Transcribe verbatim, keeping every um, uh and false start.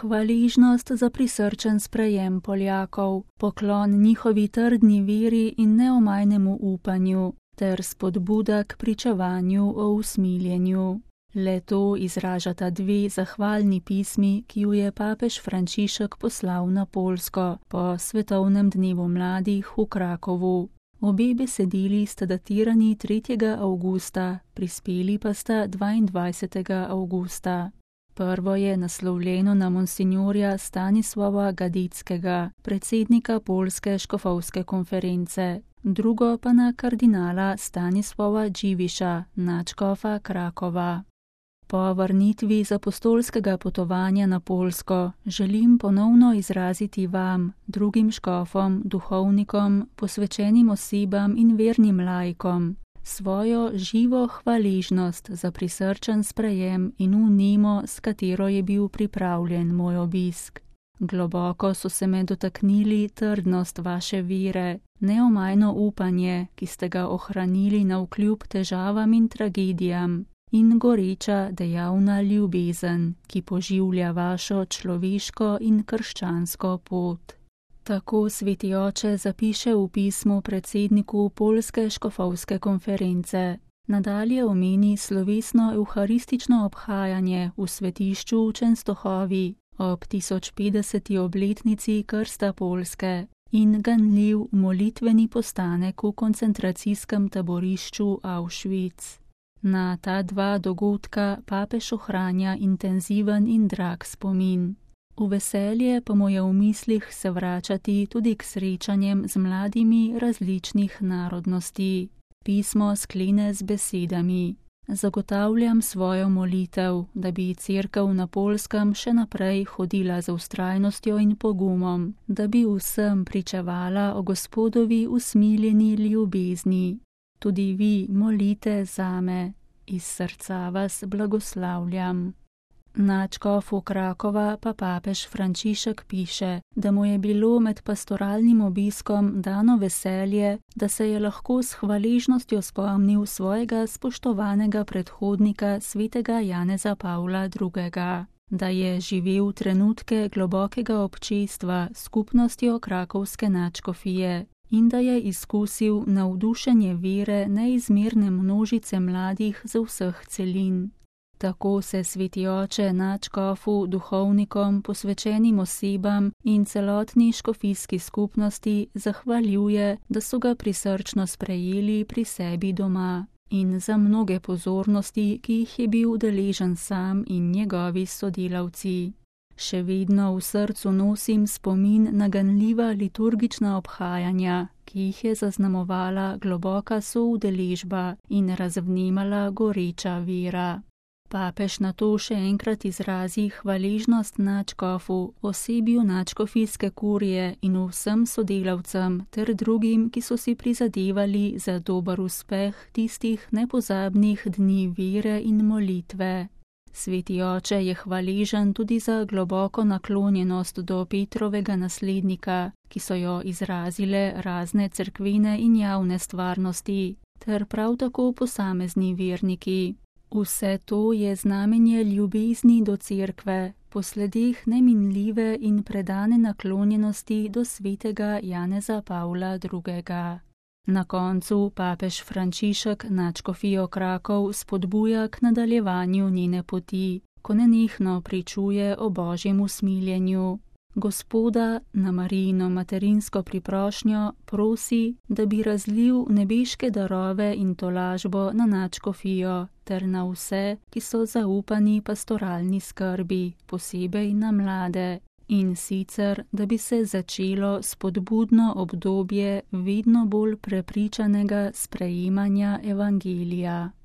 hvaležnost za prisrčen sprejem Poljakov, poklon njihovi trdni veri in neomajnemu upanju ter spodbuda k pričevanju o usmiljenju. Le to izražata dve zahvalni pismi, ki ju je papež Frančišek poslal na Poljsko po svetovnem dnevu mladih v Krakovu. Obe besedili sta datirani tretjega avgusta, prispeli pa sta dvaindvajsetega avgusta. Prvo je naslovljeno na monsinjorja Stanislava Gadickega, predsednika Poljske škofovske konference, drugo pa na kardinala Stanislava Dživiša, nadškofa Krakova. Po vrnitvi z apostolskega potovanja na Poljsko želim ponovno izraziti vam, drugim škofom, duhovnikom, posvečenim osebam in vernim laikom, svojo živo hvaležnost za prisrčen sprejem in vnemo, s katero je bil pripravljen moj obisk. Globoko so se me dotaknili trdnost vaše vere, neomajno upanje, ki ste ga ohranili navkljub težavam in tragedijam, in goreča dejavna ljubezen, ki poživlja vašo človeško in krščansko pot. Tako sveti oče zapiše v pismu predsedniku Poljske škofovske konference. Nadalje omeni slovesno evharistično obhajanje v svetišču v Čenstohovi ob tisoč petdeseti obletnici krsta Poljske in ganljiv molitveni postanek v koncentracijskem taborišču Auschwitz. Na ta dva dogodka papež ohranja intenziven in drag spomin. V veselje pa mu je v mislih se vračati tudi k srečanjem z mladimi različnih narodnosti. Pismo sklene z besedami: Zagotavljam svojo molitev, da bi cerkev na Poljskem še naprej hodila z vztrajnostjo in pogumom, da bi vsem pričevala o Gospodovi usmiljeni ljubezni. Tudi vi molite zame, iz srca vas blagoslavljam. Nadškofu Krakova pa papež Frančišek piše, da mu je bilo med pastoralnim obiskom dano veselje, da se je lahko s hvaležnostjo spomnil svojega spoštovanega predhodnika svetega Janeza Pavla drugega, da je živel trenutke globokega občestva s skupnostjo krakovske nadškofije in da je izkusil navdušenje vere neizmerne množice mladih z vseh celin. Tako se sveti oče nadškofu, duhovnikom, posvečenim osebam in celotni škofijski skupnosti zahvaljuje, da so ga prisrčno sprejeli pri sebi doma in za mnoge pozornosti, ki jih je bil deležen sam in njegovi sodelavci. Še vedno v srcu nosim spomin na ganljiva liturgična obhajanja, ki jih je zaznamovala globoka soudeležba in razvnemala goreča vera. Papež nato še enkrat izrazi hvaležnost nadškofu, osebju nadškofijske kurije in vsem sodelavcem ter drugim, ki so si prizadevali za dober uspeh tistih nepozabnih dni vere in molitve. Sveti oče je hvaležen tudi za globoko naklonjenost do Petrovega naslednika, ki so jo izrazile razne cerkvene in javne stvarnosti, ter prav tako posamezni verniki. Vse to je znamenje ljubezni do cerkve, po sledeh neminljive in predane naklonjenosti do svetega Janeza Pavla drugega. Na koncu papež Frančišek nadškofijo Krakov spodbuja k nadaljevanju njene poti, ko nenehno pričuje o Božjem usmiljenju. Gospoda na Marijino materinsko priprošnjo prosi, da bi razlil nebeške darove in tolažbo na nadškofijo ter na vse, ki so zaupani pastoralni skrbi, posebej na mlade, in sicer, da bi se začelo spodbudno obdobje vedno bolj prepričanega sprejemanja evangelija.